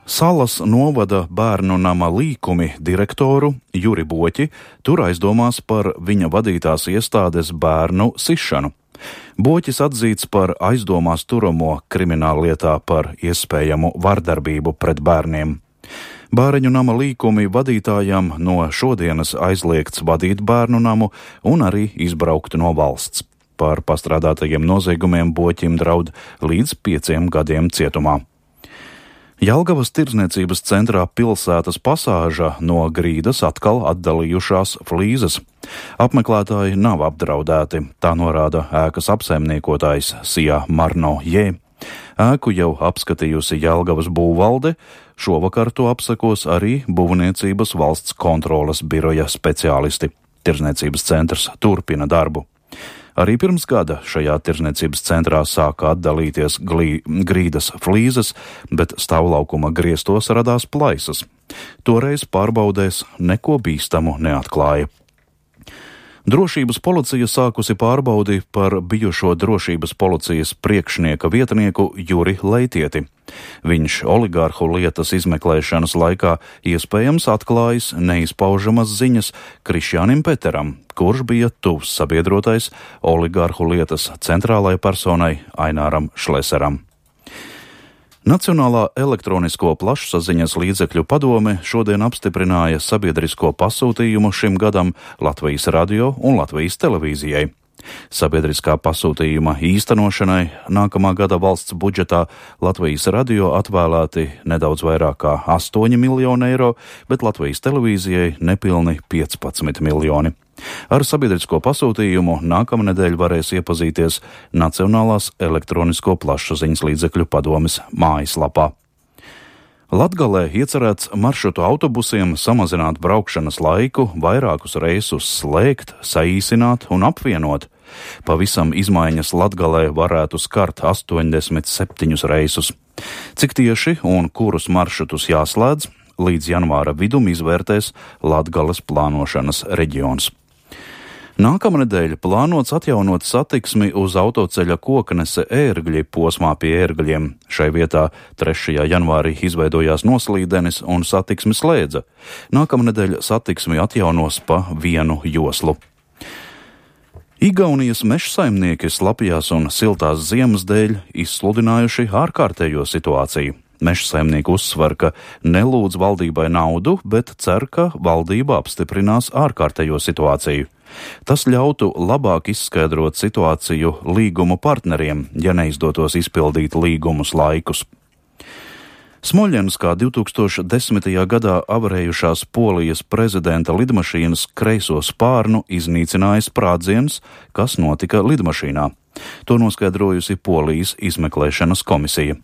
Salas novada bērnu nama līkumi direktoru Juri Boķi tur aizdomās par viņa vadītās iestādes bērnu sišanu. Boķis atzīts par aizdomās turamo krimināllietā par iespējamu vardarbību pret bērniem. Bāreņu nama līkumi vadītājam no šodienas aizliegts vadīt bērnu namu un arī izbraukt no valsts. Par pastrādātajiem noziegumiem Boķim draud līdz 5 gadiem cietumā. Jelgavas tirdzniecības centrā pilsētas pasāža no grīdas atkal atdalījušās flīzes. Apmeklētāji nav apdraudēti, tā norāda ēkas apsaimniekotājs Sija Marno Jē. Ēku jau apskatījusi Jelgavas būvvalde, šovakar to apsekos arī Būvniecības valsts kontroles biroja speciālisti. Tirdzniecības centrs turpina darbu. Arī pirms gada šajā tirdzniecības centrā sāka atdalīties grīdas flīzes, bet stāvlaukuma griestos radās plaisas. Toreiz pārbaudēs neko bīstamu neatklāja. Drošības policija sākusi pārbaudi par bijušo drošības policijas priekšnieka vietnieku Juri Leitieti. Viņš oligārhu lietas izmeklēšanas laikā iespējams atklājis neizpaužamas ziņas Krišjānim Peteram, kurš bija tuvs sabiedrotais oligārhu lietas centrālajai personai Aināram Šleseram. Nacionālā elektronisko plašsaziņas līdzekļu padome šodien apstiprināja sabiedrisko pasūtījumu šim gadam Latvijas radio un Latvijas televīzijai. Sabiedriskā pasūtījuma īstenošanai nākamā gada valsts budžetā Latvijas radio atvēlēti nedaudz vairāk kā 8 miljoni eiro, bet Latvijas televīzijai nepilni 15 miljoni. Ar sabiedrisko pasūtījumu nākamnedēļ varēs iepazīties Nacionālās elektronisko plašsaziņas līdzekļu padomes mājaslapā. Latgalē iecerēts maršrutu autobusiem samazināt braukšanas laiku, vairākus reisus slēgt, saīsināt un apvienot. Pavisam izmaiņas Latgalē varētu skart 87 reisus. Cik tieši un kurus maršrutus jāslēdz, līdz janvāra vidum izvērtēs Latgales plānošanas reģions. Nākamnedēļ plānots atjaunot satiksmi uz autoceļa Koknese Ērgļi posmā pie Ērgļiem. Šai vietā 3. janvārī izveidojās noslīdenis un satiksmi slēdza. Nākamnedēļ satiksmi atjaunos pa vienu joslu. Igaunijas mežsaimnieki slapjās un siltās ziemas dēļ izsludinājuši ārkārtējo situāciju. Mežsaimnieki uzsver, ka nelūdz valdībai naudu, bet cer, ka valdība apstiprinās ārkārtējo situāciju. Tas ļautu labāk izskaidrot situāciju līgumu partneriem, ja neizdotos izpildīt līgumus laikus. Smoļenskā 2010. gadā avarējušās Polijas prezidenta lidmašīnas kreiso spārnu iznīcināja sprādziens, kas notika lidmašīnā. To noskaidrojusi Polijas izmeklēšanas komisija.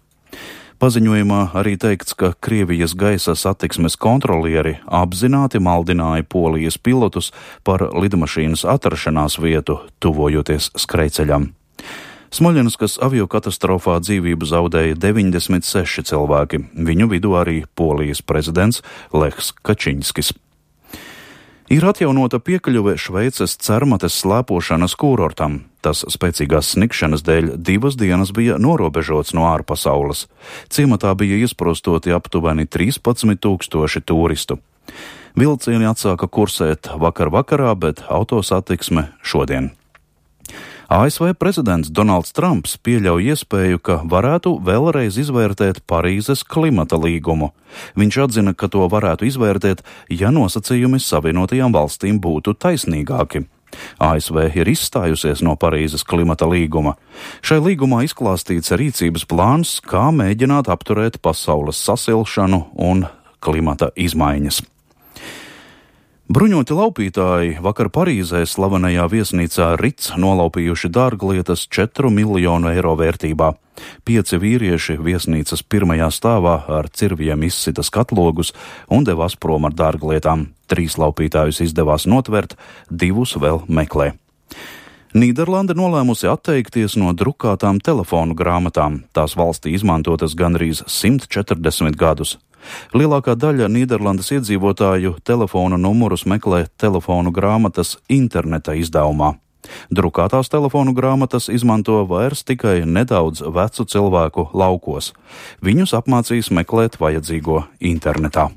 Paziņojumā arī teikts, ka Krievijas gaisa satiksmes kontrolieri apzināti maldināja Polijas pilotus par lidmašīnas atrašanās vietu, tuvojoties skrejceļam. Smoļenskas aviokatastrofā dzīvību zaudēja 96 cilvēki, viņu vidū arī Polijas prezidents Lechs Kačiņskis. Ir atjaunota piekļuve Šveices Cermates slēpošanas kūrortam. Tas spēcīgās snikšanas dēļ 2 dienas bija norobežots no ārpasaules. Ciematā bija iesprostoti aptuveni 13 000 turistu. Vilcieni atsāka kursēt vakarā, bet autosatiksme šodien. ASV prezidents Donalds Trumps pieļauj iespēju, ka varētu vēlreiz izvērtēt Parīzes klimata līgumu. Viņš atzina, ka to varētu izvērtēt, ja nosacījumi Savienotajām valstīm būtu taisnīgāki. ASV ir izstājusies no Parīzes klimata līguma. Šai līgumā izklāstīts rīcības plāns, kā mēģināt apturēt pasaules sasilšanu un klimata izmaiņas. Bruņoti laupītāji vakar Parīzē slavenajā viesnīcā Ritz nolaupījuši dārglietas 4 miljonu eiro vērtībā. 5 vīrieši viesnīcas pirmajā stāvā ar cirviem izsita skatlogus un devās prom ar dārglietām. 3 laupītājus izdevās notvert, 2 vēl meklē. Nīderlande nolēmusi atteikties no drukātām telefonu grāmatām. Tās valstī izmantotas gandrīz 140 gadus. Lielākā daļa Nīderlandes iedzīvotāju telefonu numurus meklē telefonu grāmatas interneta izdevumā. Drukātās telefonu grāmatas izmanto vairs tikai nedaudz vecu cilvēku laukos. Viņus apmācīs meklēt vajadzīgo internetā.